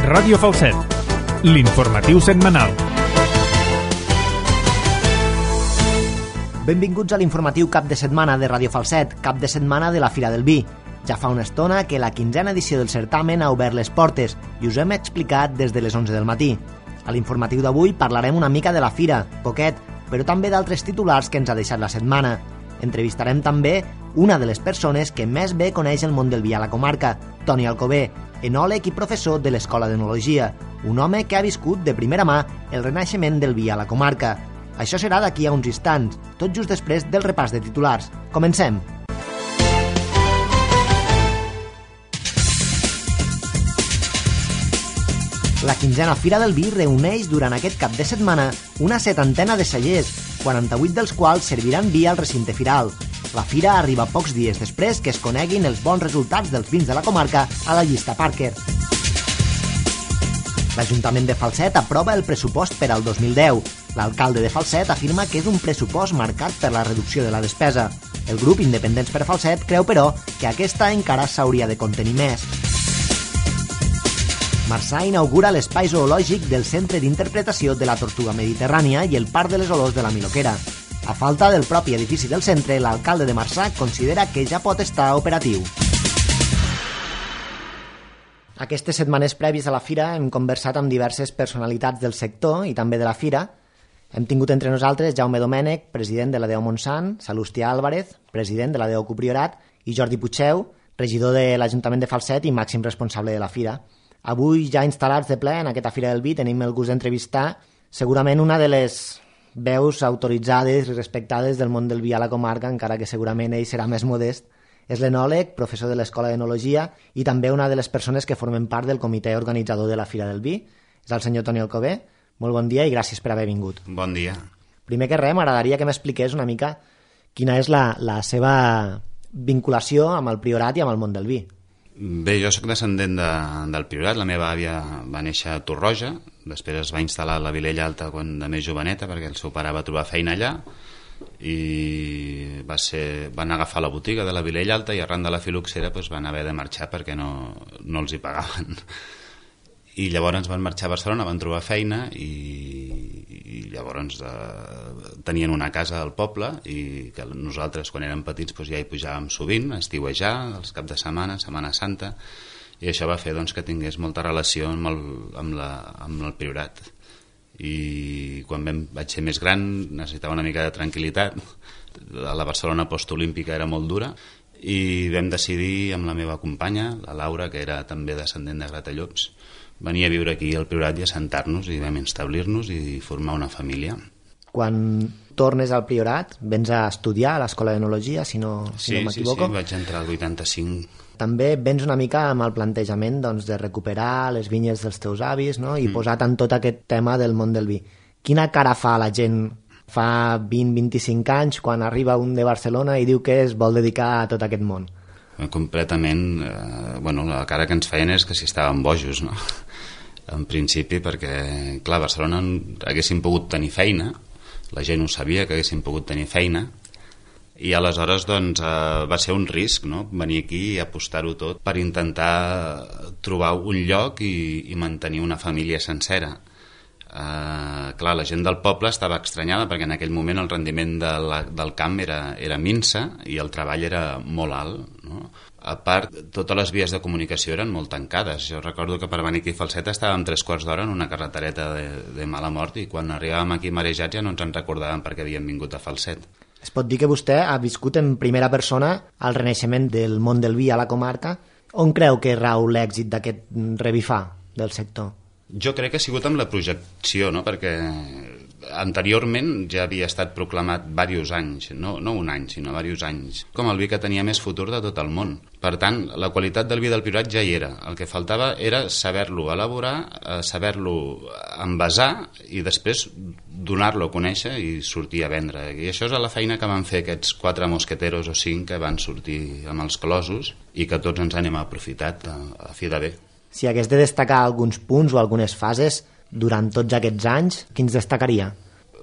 Ràdio Falset, l'informatiu setmanal. Benvinguts a l'informatiu cap de setmana de Ràdio Falset, cap de setmana de la Fira del Vi. Ja fa una estona que la 15a edició del certamen ha obert les portes i us hem explicat des de les 11 del matí. A l'informatiu d'avui parlarem una mica de la fira, poquet, però també d'altres titulars que ens ha deixat la setmana. Entrevistarem també una de les persones que més bé coneix el món del vi a la comarca, Toni Alcover, enòleg i professor de l'Escola d'Enologia, un home que ha viscut de primera mà el renaixement del vi a la comarca. Això serà d'aquí a uns instants, tot just després del repàs de titulars. Comencem! La 15a Fira del Vi reuneix durant aquest cap de setmana una 70ena de cellers, 48 dels quals serviran vi al recinte firal. La fira arriba pocs dies després que es coneguin els bons resultats dels vins de la comarca a la llista Parker. L'Ajuntament de Falset aprova el pressupost per al 2010. L'alcalde de Falset afirma que és un pressupost marcat per la reducció de la despesa. El grup Independents per Falset creu, però, que aquesta encara s'hauria de contenir més. Marçà inaugura l'espai zoològic del Centre d'Interpretació de la Tortuga Mediterrània i el Parc de les Olors de la Miloquera. A falta del propi edifici del centre, l'alcalde de Marçà considera que ja pot estar operatiu. Aquestes setmanes prèvies a la fira hem conversat amb diverses personalitats del sector i també de la fira. Hem tingut entre nosaltres Jaume Domènech, president de l'ADEO Montsant, Salustià Álvarez, president de l'ADEO Copriorat, i Jordi Puigceu, regidor de l'Ajuntament de Falset i màxim responsable de la fira. Avui, ja instal·lats de ple en aquesta Fira del Vi, tenim el gust d'entrevistar segurament una de les veus autoritzades i respectades del món del vi a la comarca, encara que segurament ell serà més modest. És l'enòleg, professor de l'Escola d'Enologia i també una de les persones que formen part del comitè organitzador de la Fira del Vi. És el senyor Toni Alcover. Molt bon dia i gràcies per haver vingut. Bon dia. Primer que res, m'agradaria que m'expliqués una mica quina és la seva vinculació amb el Priorat i amb el món del vi. Bé, jo sóc descendent del Priorat. La meva àvia va néixer a Torroja, després es va instal·lar a la Vilella Alta quan de més joveneta perquè el seu pare va trobar feina allà i van agafar la botiga de la Vilella Alta i arran de la filoxera van haver de marxar perquè no els hi pagaven. I llavors van marxar a Barcelona, van trobar feina i llavors tenien una casa al poble i que nosaltres quan érem petits ja hi pujàvem sovint, a estiuejar, els caps de setmana, Setmana Santa, i això va fer que tingués molta relació amb el Priorat. I quan vaig ser més gran necessitava una mica de tranquil·litat. La Barcelona postolímpica era molt dura i vam decidir amb la meva companya, la Laura, que era també descendent de Gratallops, venir a viure aquí al Priorat i assentar-nos i vam establir-nos i formar una família. Quan tornes al Priorat, vens a estudiar a l'Escola d'Enologia, si no m'equivoco. Sí, vaig entrar al 85. També vens una mica amb el plantejament de recuperar les vinyes dels teus avis, no? I posar tant tot aquest tema del món del vi. Quina cara fa la gent fa 20-25 anys quan arriba un de Barcelona i diu que es vol dedicar a tot aquest món? Completament, la cara que ens feien és que si estàvem bojos, no? En principi, perquè, clar, a Barcelona haguéssim pogut tenir feina, la gent ho sabia que haguéssim pogut tenir feina, i aleshores va ser un risc, no? Venir aquí i apostar-ho tot per intentar trobar un lloc i mantenir una família sencera. Clar, la gent del poble estava estranyada perquè en aquell moment el rendiment del camp era minsa i el treball era molt alt, no? A part, totes les vies de comunicació eren molt tancades. Jo recordo que per venir aquí a Falset estàvem 3/4 d'hora en una carretereta de mala mort i quan arribàvem aquí marejats ja no ens en recordàvem perquè havíem vingut a Falset. Es pot dir que vostè ha viscut en primera persona el renaixement del món del vi a la comarca. On creu que rau l'èxit d'aquest revifar del sector? Jo crec que ha sigut amb la projecció, no? Perquè anteriorment ja havia estat proclamat diversos anys, no un any, sinó diversos anys, com el vi que tenia més futur de tot el món. Per tant, la qualitat del vi del Priorat ja hi era. El que faltava era saber-lo elaborar, saber-lo envasar i després donar-lo a conèixer i sortir a vendre. I això és la feina que van fer aquests 4 mosqueteros o 5 que van sortir amb els closos i que tots ens n'hem aprofitat a fi de bé. Si hagués de destacar alguns punts o algunes fases durant tots aquests anys, quins destacaria?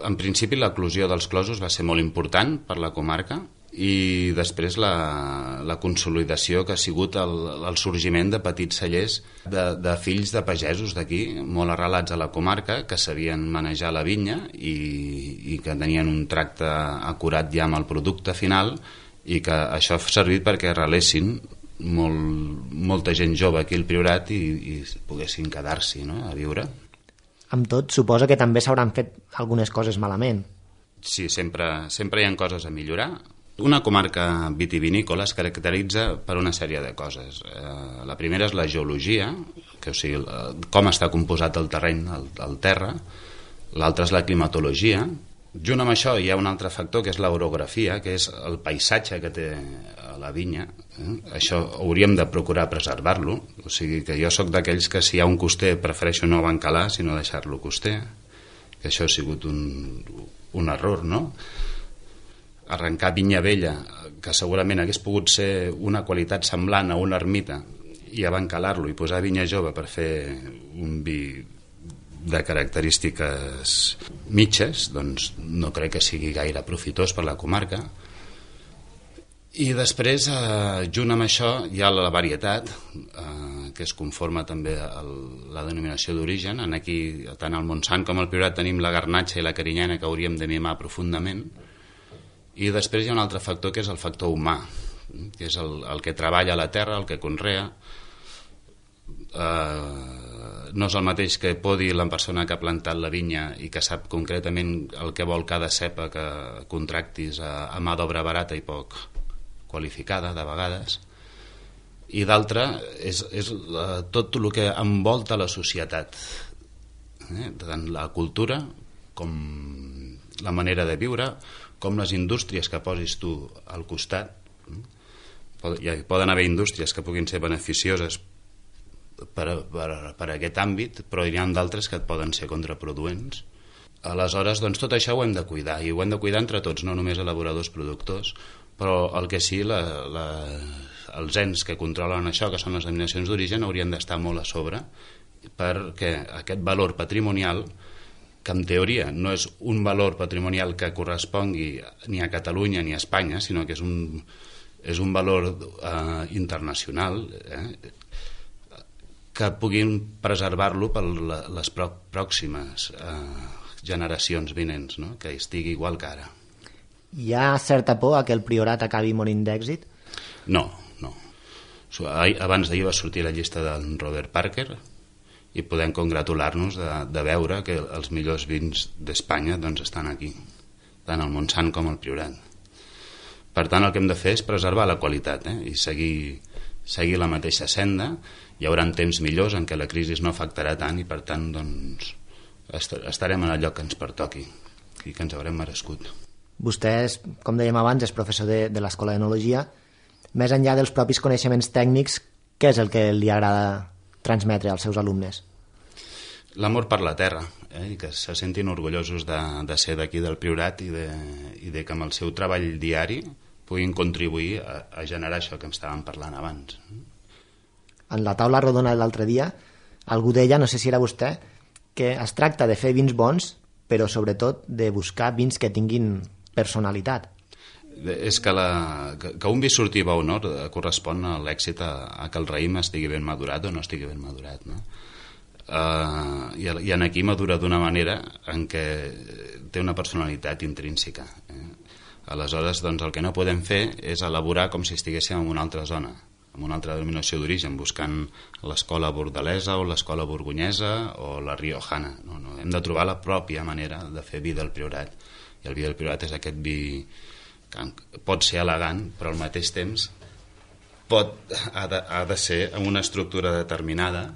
En principi, l'eclosió dels closos va ser molt important per la comarca i després la consolidació que ha sigut el sorgiment de petits cellers de fills de pagesos d'aquí, molt arrelats a la comarca, que sabien manejar la vinya i que tenien un tracte acurat ja amb el producte final, i que això ha servit perquè arrelessin molta gent jove aquí al Priorat i poguessin quedar-s'hi, no?, a viure. Amb tot, suposa que també s'hauran fet algunes coses malament. Sí, sempre hi ha coses a millorar. Una comarca vitivinícola es caracteritza per una sèrie de coses. La primera és la geologia, que, o sigui, com està composat el terreny, el terra. L'altra és la climatologia. Junt amb això hi ha un altre factor, que és l'orografia, que és el paisatge que té la vinya. Això hauríem de procurar preservar-lo. O sigui que jo sóc d'aquells que si hi ha un coster prefereixo no bancalar, sinó deixar-lo coster. Que això ha sigut un error, no? Arrencar vinya vella, que segurament hagués pogut ser una qualitat semblant a una ermita, i abancalar-lo i posar vinya jove per fer un vi de característiques mitges, doncs no crec que sigui gaire profitós per la comarca. I després, junt amb això, hi ha la varietat, que es conforma també a la denominació d'origen. Aquí, tant al Montsant com al Priorat, tenim la garnatxa i la carinyena que hauríem de mimar profundament. I després hi ha un altre factor, que és el factor humà, que és el que treballa a la terra, el que conrea. No és el mateix que podi la persona que ha plantat la vinya i que sap concretament el que vol cada cepa que contractis a mà d'obra barata i poc qualificada, de vegades. I d'altra és tot el que envolta la societat, tant la cultura com la manera de viure, com les indústries que posis tu al costat. Poden haver indústries que puguin ser beneficioses per aquest àmbit, però hi ha d'altres que et poden ser contraproduents. Aleshores, doncs, tot això ho hem de cuidar, i ho hem de cuidar entre tots, no només elaboradors, productors, però el que sí, els ens que controlen això, que són les denominacions d'origen, haurien d'estar molt a sobre, perquè aquest valor patrimonial, que en teoria no és un valor patrimonial que correspongui ni a Catalunya ni a Espanya, sinó que és un valor internacional, que puguin preservar-lo per les pròximes generacions vinents, no?, que estigui igual que ara. Hi ha certa por que el Priorat acabi morint d'èxit? No. Abans d'ahir va sortir la llista del Robert Parker, i podem congratular-nos de veure que els millors vins d'Espanya doncs estan aquí, tant al Montsant com al Priorat. Per tant, el que hem de fer és preservar la qualitat, i seguir la mateixa senda. Hi haurà temps millors en què la crisi no afectarà tant i, per tant, doncs, estarem en el lloc que ens pertoqui i que ens haurem merescut. Vostè, com dèiem abans, és professor de l'Escola d'Enologia. Més enllà dels propis coneixements tècnics, què és el que li agrada transmetre als seus alumnes? L'amor per la terra, i que se sentin orgullosos de ser d'aquí del Priorat i de que amb el seu treball diari puguin contribuir a generar això que em estàvem parlant abans. En la taula rodona de l'altre dia, algú deia, no sé si era vostè, que es tracta de fer vins bons, però sobretot de buscar vins que tinguin personalitat. És que un vi surti bo o no correspon a l'èxit a que el raïm estigui ben madurat o no estigui ben madurat, no? I aquí madura d'una manera en què té una personalitat intrínseca. Aleshores, doncs, el que no podem fer és elaborar com si estiguéssim en una altra zona, en una altra denominació d'origen, buscant l'escola bordalesa o l'escola borgonyesa o la riojana. No, hem de trobar la pròpia manera de fer vi del Priorat, i el vi del Priorat és aquest vi que pot ser elegant, però al mateix temps ha de ser amb una estructura determinada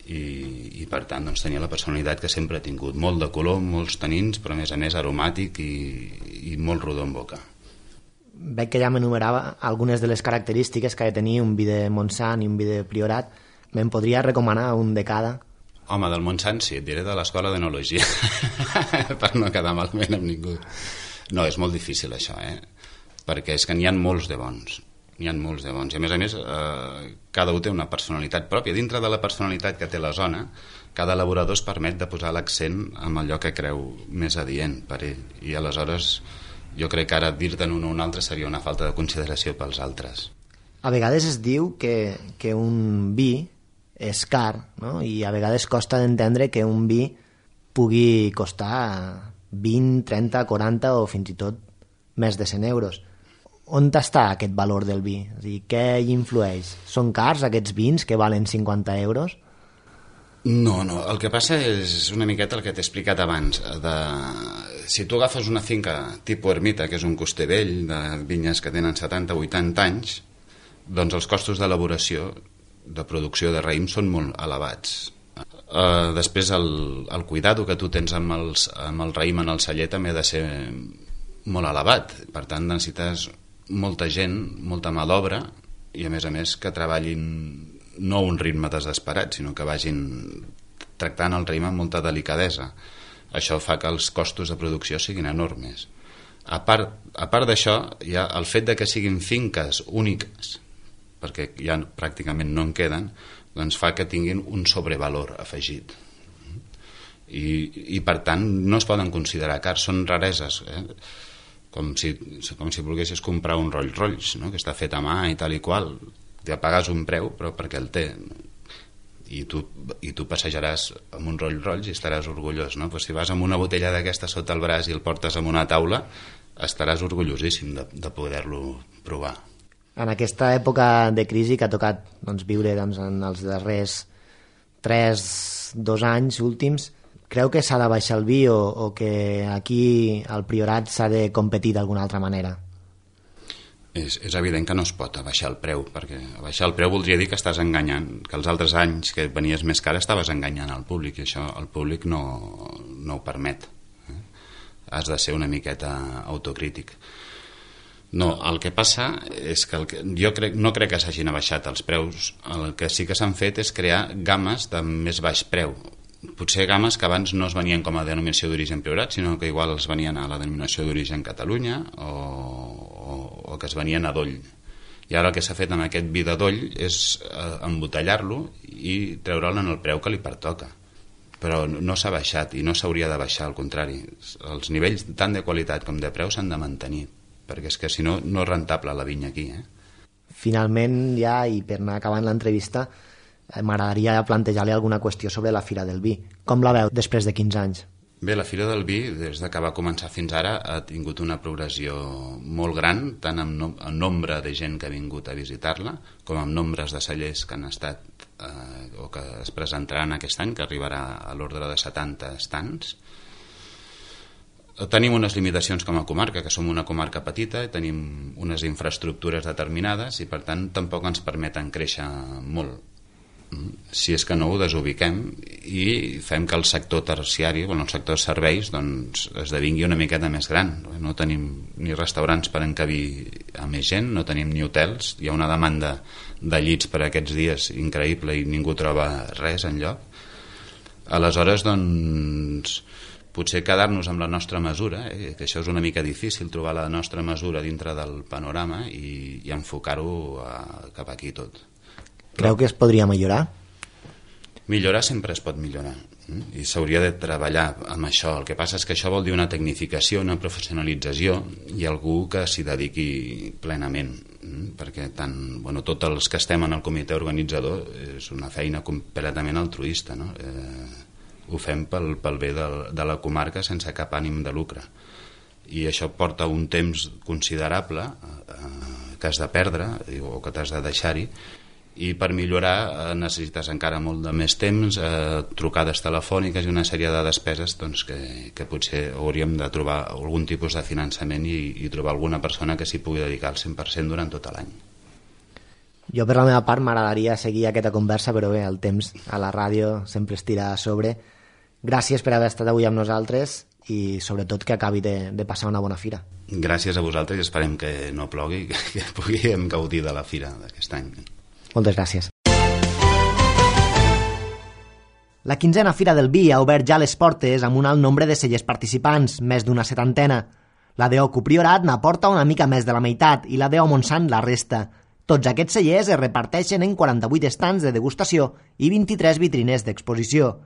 i per tant doncs, tenir la personalitat que sempre ha tingut, molt de color, molts tanins, però a més aromàtic i molt rodó en boca. Veig que ja m'enumerava algunes de les característiques que ha de tenir un vi de Montsant i un vi de Priorat. Me'n podria recomanar un de cada? Home, del Montsant sí, et diré de l'Escola d'Enologia per no quedar malament amb ningú. No, és molt difícil això, perquè és que n'hi ha molts de bons. I a més, cada un té una personalitat pròpia. Dintre de la personalitat que té la zona, cada elaborador es permet de posar l'accent en allò que creu més adient per ell. I aleshores Jo crec que ara dir-te'n un o un altre seria una falta de consideració pels altres. A vegades es diu que un vi és car, no? I a vegades costa d'entendre que un vi pugui costar 20, 30, 40 o fins i tot més de 100 euros. On està aquest valor del vi? És a dir, què hi influeix? Són cars aquests vins que valen 50 euros? No, el que passa és una miqueta el que t'he explicat abans. Si tu agafes una finca tipus ermita, que és un coster vell, de vinyes que tenen 70 o 80 anys, doncs els costos d'elaboració, de producció de raïm són molt elevats. Després el cuidado que tu tens amb el raïm en el celler també ha de ser molt elevat. Per tant, necessites molta gent, molta mà d'obra, i a més que treballin no a un ritme desesperat, sinó que vagin tractant el raïm amb molta delicadesa. Això fa que els costos de producció siguin enormes. A part d'això, hi ha el fet de que siguin finques úniques, perquè ja pràcticament no en queden, doncs fa que tinguin un sobrevalor afegit. I per tant no es poden considerar cars, són rareses, com si volguessis comprar un Rolls Royce, no? Que està fet a mà i tal i qual. Ja pagues un preu, però perquè el té. I tu passejaràs amb un Rolls Royce i estaràs orgullós, no? Pues si vas amb una botella d'aquesta sota el braç i el portes en una taula, estaràs orgullosíssim de poder-lo provar. En aquesta època de crisi que ha tocat viure en els darrers 2 anys últims, creu que s'ha de baixar el vi o que aquí al Priorat s'ha de competir d'alguna altra manera? És evident que no es pot abaixar el preu, perquè abaixar el preu voldria dir que estàs enganyant, que els altres anys que venies més car estaves enganyant al públic, i això el públic no ho permet. Has de ser una miqueta autocrític. No, el que passa és que no crec que s'hagin abaixat els preus. El que sí que s'han fet és crear gammes de més baix preu. Potser gammes que abans no es venien com a denominació d'origen Priorat, sinó que igual es venien a la denominació d'origen Catalunya o que es venien a doll. I ara el que s'ha fet amb aquest vi de doll és embotellar-lo i treure'l en el preu que li pertoca. Però no s'ha baixat i no s'hauria de baixar, al contrari. Els nivells tant de qualitat com de preu s'han de mantenir, perquè és que si no, no és rentable la vinya aquí. Finalment, ja, i per anar acabant l'entrevista, m'agradaria plantejar-li alguna qüestió sobre la Fira del Vi. Com la veu després de 15 anys? Bé, la Fira del Vi, des que va començar fins ara, ha tingut una progressió molt gran, tant en nombre de gent que ha vingut a visitar-la, com en nombres de cellers que han estat o que es presentaran aquest any, que arribarà a l'ordre de 70 estants. Tenim unes limitacions com a comarca, que som una comarca petita i tenim unes infraestructures determinades i per tant tampoc ens permeten créixer molt. Si és que no ho desubiquem i fem que el sector terciari, el sector serveis, doncs esdevingui una miqueta més gran. No tenim ni restaurants per encabir a més gent, no tenim ni hotels, hi ha una demanda de llits per aquests dies increïble i ningú troba res enlloc. Aleshores, doncs, potser quedar-nos amb la nostra mesura, que això és una mica difícil, trobar la nostra mesura dintre del panorama i enfocar-ho cap aquí tot. Creu que es podria millorar? Millorar sempre es pot millorar i s'hauria de treballar amb això. El que passa és que això vol dir una tecnificació, una professionalització i algú que s'hi dediqui plenament, perquè tots els que estem en el comitè organitzador és una feina completament altruista, no? Ho fem pel bé de la comarca sense cap ànim de lucre, i això porta un temps considerable que has de perdre o que t'has de deixar-hi, i per millorar necessites encara molt de més temps, trucades telefòniques i una sèrie de despeses que potser hauríem de trobar algun tipus de finançament i trobar alguna persona que s'hi pugui dedicar al 100% durant tot l'any. Jo per la meva part m'agradaria seguir aquesta conversa, però bé, el temps a la ràdio sempre es tira a sobre. Gràcies per haver estat avui amb nosaltres i sobretot que acabi de passar una bona fira. Gràcies a vosaltres i esperem que no plogui, que puguem gaudir de la fira d'aquest any. Moltes gràcies. La 15a Fira del Vi ha obert ja les portes amb un alt nombre de cellers participants, més d'una 70. La d'Ocu Priorat n'aporta una mica més de la meitat i la d'O Montsant la resta. Tots aquests cellers es reparteixen en 48 estants de degustació i 23 vitrines d'exposició.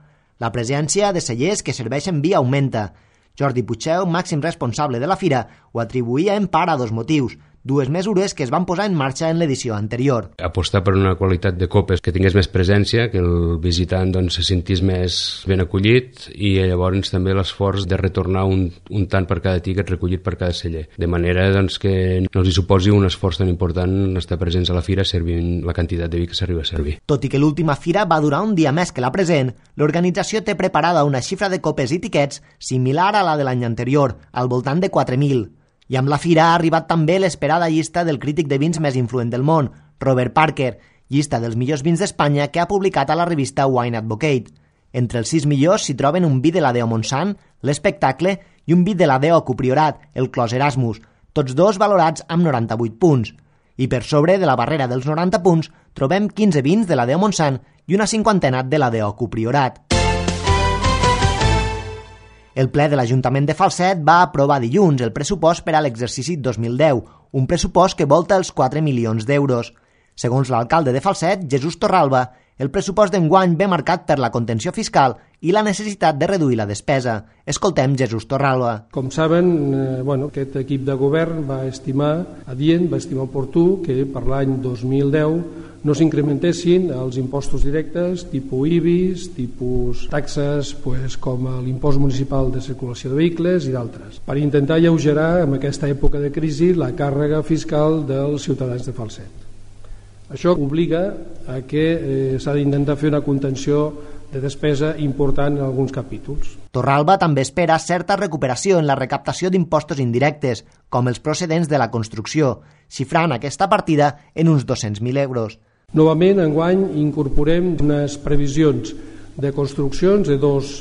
La presència de cellers que serveixen vi augmenta. Jordi Puigdeu, màxim responsable de la fira, ho atribuïa en part a 2 motius, 2 mesures que es van posar en marxa en l'edició anterior. Apostar per una qualitat de copes que tingués més presència, que el visitant se sentís més ben acollit i llavors també l'esforç de retornar un tant per cada tiquet recollit per cada celler, de manera que no els hi suposi un esforç tan important estar presents a la fira servint la quantitat de vi que s'arriba a servir. Tot i que l'última fira va durar un dia més que la present, l'organització té preparada una xifra de copes i tiquets similar a la de l'any anterior, al voltant de 4.000. I amb la fira ha arribat també l'esperada llista del crític de vins més influent del món, Robert Parker, llista dels millors vins d'Espanya que ha publicat a la revista Wine Advocate. Entre els 6 millors s'hi troben un vi de la Deo Montsant, l'Espectacle, i un vi de la Deo Copriorat, el Clos Erasmus, tots 2 valorats amb 98 punts. I per sobre de la barrera dels 90 punts trobem 15 vins de la Deo Montsant i una 50ena de la Deo Copriorat. El ple de l'Ajuntament de Falset va aprovar dilluns el pressupost per a l'exercici 2010, un pressupost que volta els 4 milions d'euros. Segons l'alcalde de Falset, Jesús Torralba, el pressupost d'enguany ve marcat per la contenció fiscal i la necessitat de reduir la despesa. Escoltem Jesús Torralba. Com saben, aquest equip de govern va estimar adient, va estimar oportú que per l'any 2010 no s'incrementessin els impostos directes tipus IBIs, tipus taxes com l'impost municipal de circulació de vehicles i d'altres, per intentar alleugerar en aquesta època de crisi la càrrega fiscal dels ciutadans de Falset. Això obliga a que s'ha d'intentar fer una contenció de despesa important en alguns capítols. Torralba també espera certa recuperació en la recaptació d'impostos indirectes, com els procedents de la construcció, xifrant aquesta partida en uns 200.000 euros. Novament, enguany, incorporem unes previsions de construccions de 2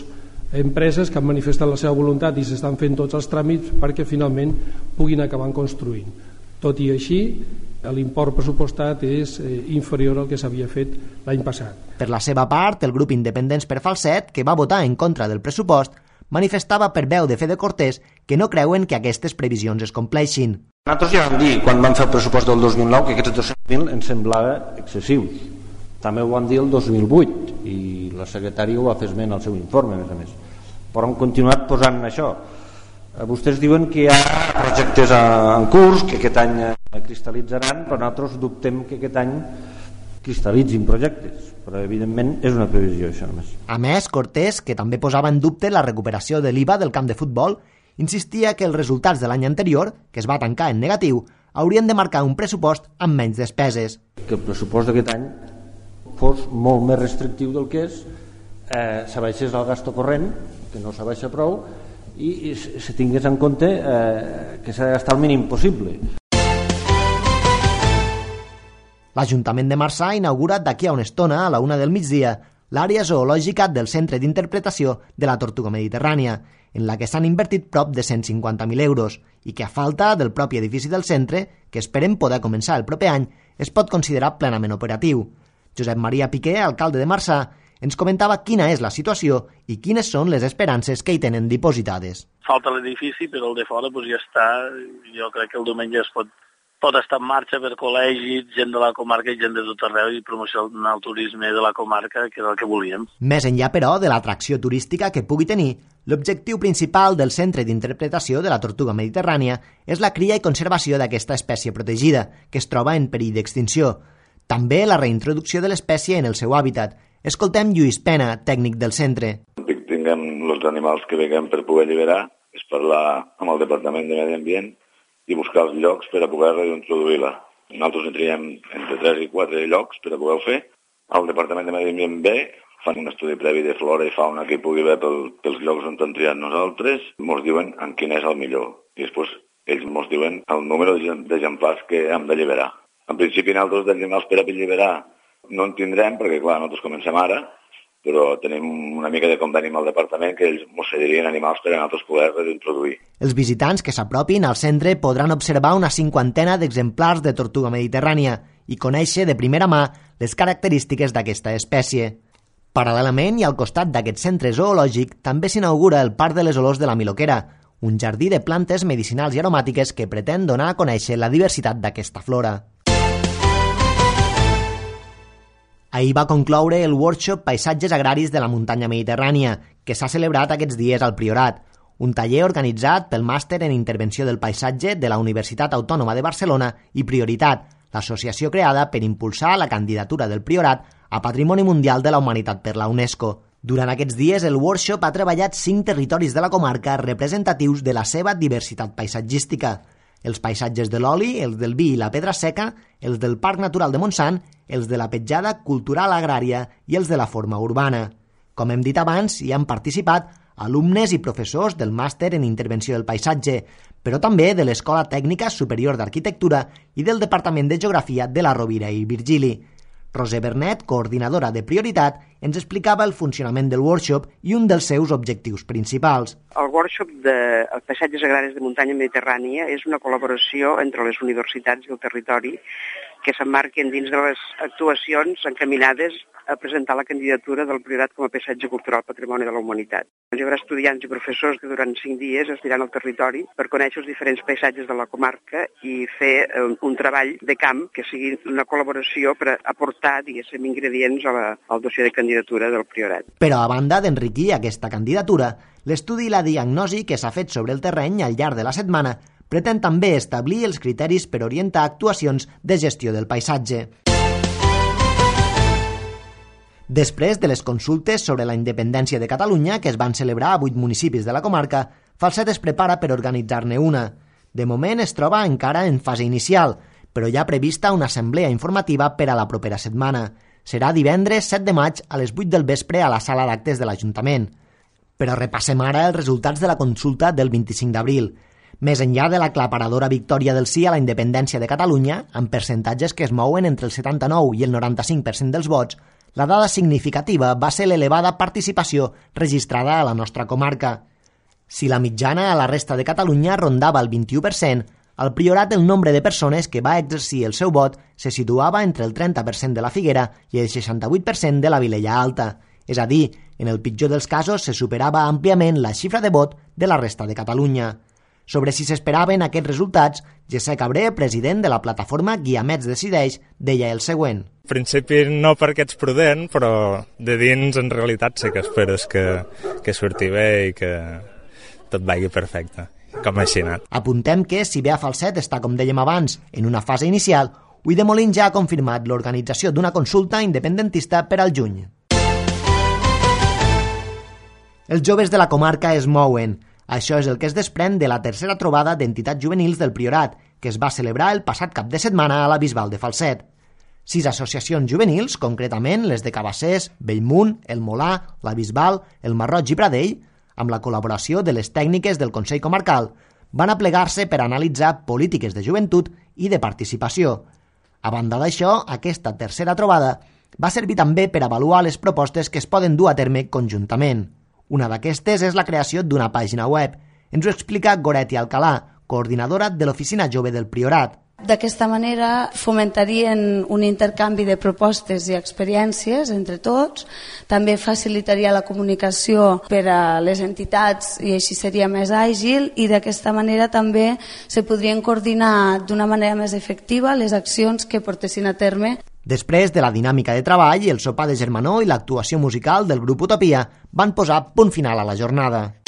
empreses que han manifestat la seva voluntat i s'estan fent tots els tràmits perquè finalment puguin acabar construint. Tot i així, l'import pressupostat és inferior al que s'havia fet l'any passat. Per la seva part, el grup Independents per Falset, que va votar en contra del pressupost, manifestava per veu de Fede Cortés que no creuen que aquestes previsions es compleixin. Nosaltres ja vam dir, quan vam fer el pressupost del 2009, que aquests 200.000 ens semblava excessius. També ho vam dir el 2008, i la secretària ho va fer esment al seu informe, a més. Però hem continuat posant això. Vostès diuen que hi ha projectes en curs, que aquest any cristal·litzaran, però nosaltres dubtem que aquest any cristal·litzin projectes, però evidentment és una previsió això només. A més, Cortés, que també posava en dubte la recuperació de l'IVA del camp de futbol, insistia que els resultats de l'any anterior, que es va tancar en negatiu, haurien de marcar un pressupost amb menys despeses. Que el pressupost d'aquest any fos molt més restrictiu del que és, s'abaixés el gasto corrent, que no s'abaixa prou, i se tingués en compte que s'ha de gastar el mínim possible. L'Ajuntament de Marçà ha inaugurat d'aquí a una estona, a la 1 del migdia, l'àrea zoològica del Centre d'Interpretació de la Tortuga Mediterrània, en la que s'han invertit prop de 150.000 euros i que a falta del propi edifici del centre, que esperem poder començar el proper any, es pot considerar plenament operatiu. Josep Maria Piqué, alcalde de Marçà, ens comentava quina és la situació i quines són les esperances que hi tenen dipositades. Falta l'edifici, però el de fora ja està. Jo crec que el diumenge es pot estar en marxa per col·legis, gent de la comarca i gent de tot arreu i promocionar el turisme de la comarca, que era el que volíem. Més enllà, però, de l'atracció turística que pugui tenir, l'objectiu principal del Centre d'Interpretació de la Tortuga Mediterrània és la cria i conservació d'aquesta espècie protegida, que es troba en perill d'extinció. També la reintroducció de l'espècie en el seu hàbitat. Escoltem Lluís Pena, tècnic del centre. Tinguem els animals que venguem per poder alliberar, és parlar amb el Departament de Medi Ambient i buscar els llocs per a poder reintroduir-la. Nosaltres en triem entre 3 i 4 llocs per a poder-ho fer. El Departament de Medi Ambient ve, fan un estudi previ de flora i fauna que hi pugui haver pels llocs on hem triat nosaltres, ens diuen en quin és el millor. I després ells ens diuen el número d'exemplars que hem d'alliberar. En principi nosaltres d'animals per a alliberar no en tindrem, perquè clar, nosaltres comencem ara, però tenim una mica de conveni amb el departament que ells ens cederien animals per a nosaltres poder reintroduir. Els visitants que s'apropin al centre podran observar una 50ena d'exemplars de tortuga mediterrània i conèixer de primera mà les característiques d'aquesta espècie. Paral·lelament i al costat d'aquest centre zoològic també s'inaugura el Parc de les Olors de la Miloquera, un jardí de plantes medicinals i aromàtiques que pretén donar a conèixer la diversitat d'aquesta flora. Ahir va concloure el workshop Paisatges Agraris de la Muntanya Mediterrània, que s'ha celebrat aquests dies al Priorat, un taller organitzat pel Màster en Intervenció del Paisatge de la Universitat Autònoma de Barcelona i Prioritat, l'associació creada per impulsar la candidatura del Priorat a Patrimoni Mundial de la Humanitat per la UNESCO. Durant aquests dies, el workshop ha treballat 5 territoris de la comarca representatius de la seva diversitat paisatgística. Els paisatges de l'oli, els del vi i la pedra seca, els del Parc Natural de Montsant, els de la petjada cultural agrària i els de la forma urbana. Com hem dit abans, hi han participat alumnes i professors del Màster en Intervenció del Paisatge, però també de l'Escola Tècnica Superior d'Arquitectura i del Departament de Geografia de la Rovira i Virgili. Roser Bernet, coordinadora de Prioritat, ens explicava el funcionament del workshop i un dels seus objectius principals. El workshop de paisatges agraris de muntanya mediterrània és una col·laboració entre les universitats i el territori que s'emmarquen dins de les actuacions encaminades a presentar la candidatura del Priorat com a paisatge cultural Patrimoni de la Humanitat. Hi haurà estudiants i professors que durant 5 dies estiran al territori per conèixer els diferents paisatges de la comarca i fer un treball de camp que sigui una col·laboració per aportar, diguéssim, ingredients al dossier de candidatura del Priorat. Però a banda d'enriquir aquesta candidatura, l'estudi i la diagnosi que s'ha fet sobre el terreny al llarg de la setmana pretén també establir els criteris per orientar actuacions de gestió del paisatge. Després de les consultes sobre la independència de Catalunya, que es van celebrar a 8 municipis de la comarca, Falset es prepara per organitzar-ne una. De moment es troba encara en fase inicial, però hi ha prevista una assemblea informativa per a la propera setmana. Serà divendres 7 de maig a les 8 del vespre a la sala d'actes de l'Ajuntament. Però repassem ara els resultats de la consulta del 25 d'abril. Més enllà de l'aclaparadora victòria del sí a la independència de Catalunya, amb percentatges que es mouen entre el 79 i el 95% dels vots, la dada significativa va ser l'elevada participació registrada a la nostra comarca. Si la mitjana a la resta de Catalunya rondava el 21%, al Priorat el nombre de persones que va exercir el seu vot se situava entre el 30% de la Figuera i el 68% de la Vilella Alta. És a dir, en el pitjor dels casos se superava àmpliament la xifra de vot de la resta de Catalunya. Sobre si s'esperaven aquests resultats, José Cabré, president de la plataforma Guiamets Decideix, deia el següent. En principi no perquè ets prudent, però de dins en realitat sí que esperes que surti bé i que tot vagi perfecte, com així anat. Apuntem que, si bé a Falset està, com dèiem abans, en una fase inicial, Ulldemolins ja ha confirmat l'organització d'una consulta independentista per al juny. Els joves de la comarca es mouen. Això és el que es desprèn de la tercera trobada d'entitats juvenils del Priorat, que es va celebrar el passat cap de setmana a la Bisbal de Falset. 6 associacions juvenils, concretament les de Cabassers, Bellmunt, el Molà, la Bisbal, el Marroig i Pradell, amb la col·laboració de les tècniques del Consell Comarcal, van aplegar-se per analitzar polítiques de joventut i de participació. A banda d'això, aquesta tercera trobada va servir també per avaluar les propostes que es poden dur a terme conjuntament. Una d'aquestes és la creació d'una pàgina web. Ens ho explica Goretti Alcalà, coordinadora de l'Oficina Jove del Priorat. D'aquesta manera fomentarien un intercanvi de propostes i experiències entre tots, també facilitaria la comunicació per a les entitats i així seria més àgil, i d'aquesta manera també se podrien coordinar d'una manera més efectiva les accions que portessin a terme. Després de la dinàmica de treball, el sopar de germanor i l'actuació musical del grup Utopia van posar punt final a la jornada.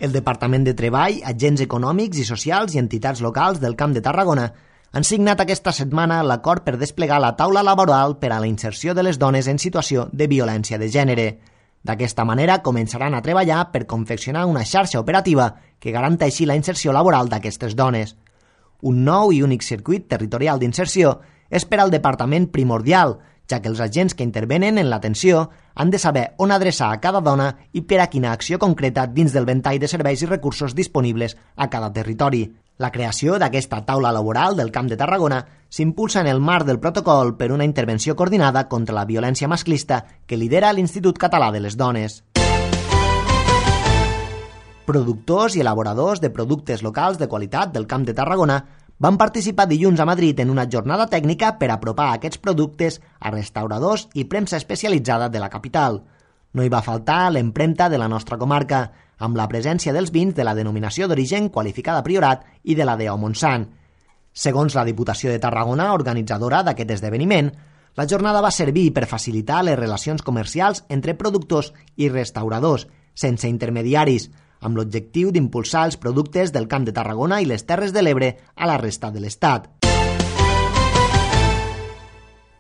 El Departament de Treball, agents econòmics i socials i entitats locals del Camp de Tarragona han signat aquesta setmana l'acord per desplegar la taula laboral per a la inserció de les dones en situació de violència de gènere. D'aquesta manera començaran a treballar per confeccionar una xarxa operativa que garanteixi la inserció laboral d'aquestes dones. Un nou i únic circuit territorial d'inserció és per al departament primordial, ja que els agents que intervenen en l'atenció han de saber on adreçar a cada dona i per a quina acció concreta dins del ventall de serveis i recursos disponibles a cada territori. La creació d'aquesta taula laboral del Camp de Tarragona s'impulsa en el marc del protocol per una intervenció coordinada contra la violència masclista que lidera l'Institut Català de les Dones. Productors i elaboradors de productes locals de qualitat del Camp de Tarragona van participar dilluns a Madrid en una jornada tècnica per apropar aquests productes a restauradors i premsa especialitzada de la capital. No hi va faltar l'empremta de la nostra comarca, amb la presència dels vins de la denominació d'origen qualificada Priorat i de la DO Montsant. Segons la Diputació de Tarragona, organitzadora d'aquest esdeveniment, la jornada va servir per facilitar les relacions comercials entre productors i restauradors, sense intermediaris, amb l'objectiu d'impulsar els productes del Camp de Tarragona i les Terres de l'Ebre a la resta de l'Estat.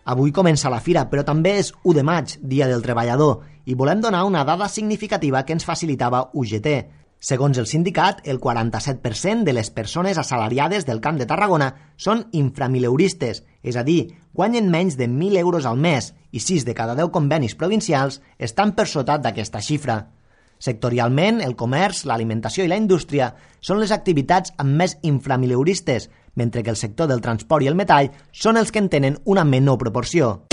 Avui comença la fira, però també és 1 de maig, Dia del Treballador, i volem donar una dada significativa que ens facilitava UGT. Segons el sindicat, el 47% de les persones assalariades del Camp de Tarragona són inframileuristes, és a dir, guanyen menys de 1.000 euros al mes i 6 de cada 10 convenis provincials estan per sota d'aquesta xifra. Sectorialment, el comerç, l'alimentació i la indústria són les activitats amb més inframileuristes, mentre que el sector del transport i el metall són els que en tenen una menor proporció.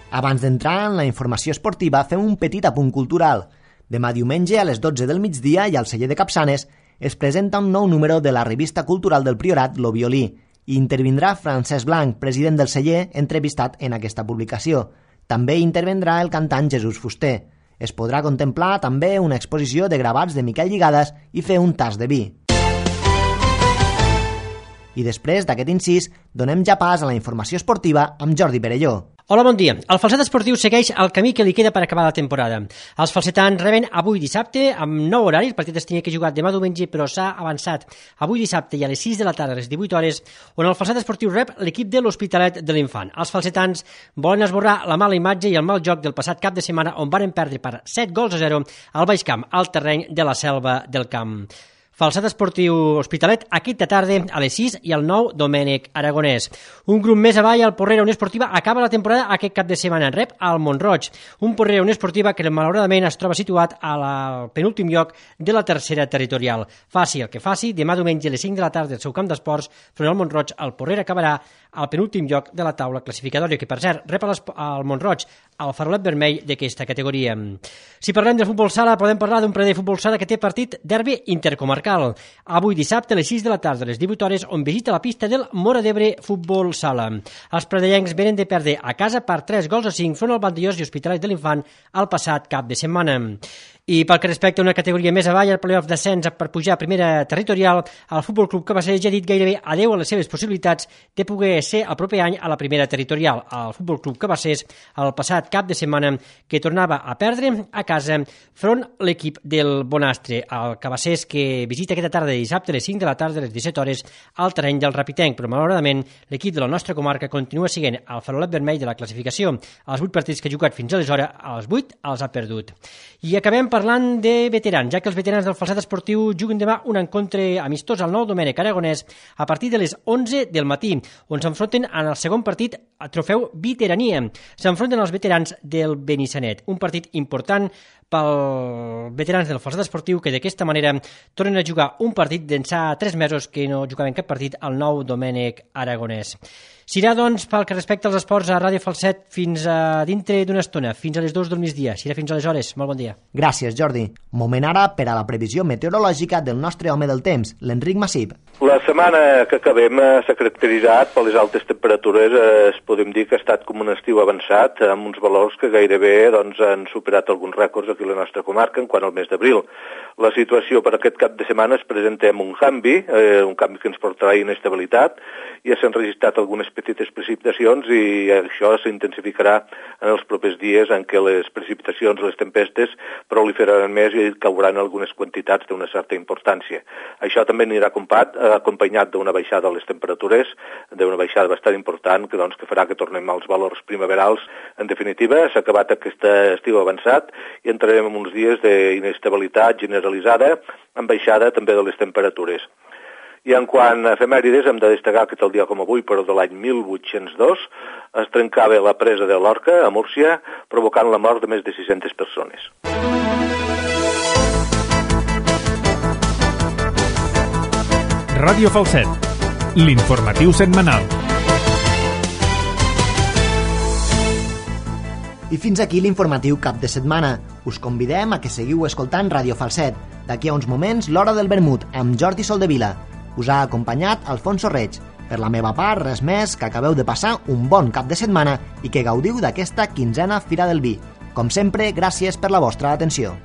Abans d'entrar en la informació esportiva, fem un petit apunt cultural. Demà diumenge a les 12 del migdia i al celler de Capçanes es presenta un nou número de la revista cultural del Priorat, Lo Violí, i intervindrà Francesc Blanc, president del celler, entrevistat en aquesta publicació. També intervendrà el cantant Jesús Fuster. Es podrà contemplar també una exposició de gravats de Miquel Lligades i fer un tas de vi. I després d'aquest incís, donem ja pas a la informació esportiva amb Jordi Perelló. Hola, bon dia. El falset esportiu segueix el camí que li queda per acabar la temporada. Els falsetans reben avui dissabte amb nou horari. El partit es tenia que jugar demà diumenge, però s'ha avançat avui dissabte i a les 6 de la tarda, a les 18 hores, on el falset esportiu rep l'equip de l'Hospitalet de l'Infant. Els falsetans volen esborrar la mala imatge i el mal joc del passat cap de setmana, on varen perdre per 7-0 al Baix Camp, al terreny de la Selva del Camp. Falset esportiu Hospitalet aquesta tarda a les 6 i al 9 Domènec Aragonès. Un grup més avall, el Porrera Unió Esportiva acaba la temporada aquest cap de setmana. Rep al Mont-roig, un Porrera Unió Esportiva que malauradament es troba situat al penúltim lloc de la tercera territorial. Faci el que faci, demà diumenge a les 5 de la tarda al seu camp d'esports, front al Mont-roig, el Porrera acabarà al penúltim lloc de la taula classificatòria, que per cert rep al Mont-roig el farolet vermell d'aquesta categoria. Si parlem de futbol sala, podem parlar d'un parell de futbol sala que té partit derbi intercomarcal. Avui dissabte a les 6 de la tarda, a les 18 hores, on visita la pista del Móra d'Ebre Futbol Sala. Els pradellencs venen de perdre a casa per 3-5 front al Vandellós i Hospitalet de l'Infant el passat cap de setmana. I pel que respecta a una categoria més avall, el playoff descens per pujar a primera territorial, el Futbol Club Cabassers ja ha dit gairebé adeu a les seves possibilitats de poder ser el proper any a la primera territorial. El Futbol Club Cabassers, el passat cap de setmana, que tornava a perdre a casa front l'equip del Bonastre. El Cabassers que visita aquesta tarda de dissabte a les 5 de la tarda a les 17 hores al terreny del Rapitenc, però malauradament l'equip de la nostra comarca continua siguent el farolet vermell de la classificació. Els 8 partits que ha jugat fins aleshores, als 8 els ha perdut. I acabem parlant de veterans, ja que els veterans del falset esportiu juguen demà un encontre amistós al nou Domènec Aragonès a partir de les 11 del matí, on s'enfronten en el segon partit a trofeu veterania. S'enfronten els veterans del Benissanet, un partit important pels veterans del falset esportiu que d'aquesta manera tornen a jugar un partit d'ençà 3 mesos que no jugaven cap partit al nou Domènec Aragonès. Serà, doncs, pel que respecta als esports a Ràdio Falset fins a dintre d'una estona, fins a les 2 del migdia. Serà fins aleshores. Molt bon dia. Gràcies, Jordi. Moment ara per a la previsió meteorològica del nostre home del temps, l'Enric Massip. La setmana que acabem s'ha caracteritzat per les altes temperatures. Podem dir que ha estat com un estiu avançat, amb uns valors que gairebé han superat alguns rècords aquí a la nostra comarca en quant al mes d'abril. La situació per aquest cap de setmana es presenta amb un canvi que ens portarà inestabilitat. Ja s'han registrat algunes petites precipitacions i això s'intensificarà en els propers dies en què les precipitacions, les tempestes, proliferaran més i cauran algunes quantitats d'una certa importància. Això també anirà acompanyat d'una baixada de les temperatures, d'una baixada bastant important que farà que tornem als valors primaverals. En definitiva, s'ha acabat aquest estiu avançat i entrarem en uns dies d'inestabilitat generalitzada amb baixada també de les temperatures. I en quant a efemèrides, hem de destacar que tal dia com avui, però de l'any 1802, es trencava la presa de l'Orca, a Múrcia, provocant la mort de més de 600 persones. Ràdio Falset, l'informatiu setmanal. I fins aquí l'informatiu cap de setmana. Us convidem a que seguiu escoltant Ràdio Falset. D'aquí a uns moments, l'Hora del Vermut, amb Jordi Soldevila. Us ha acompanyat Alfonso Reig. Per la meva part, res més, que acabeu de passar un bon cap de setmana i que gaudiu d'aquesta 15a Fira del Vi. Com sempre, gràcies per la vostra atenció.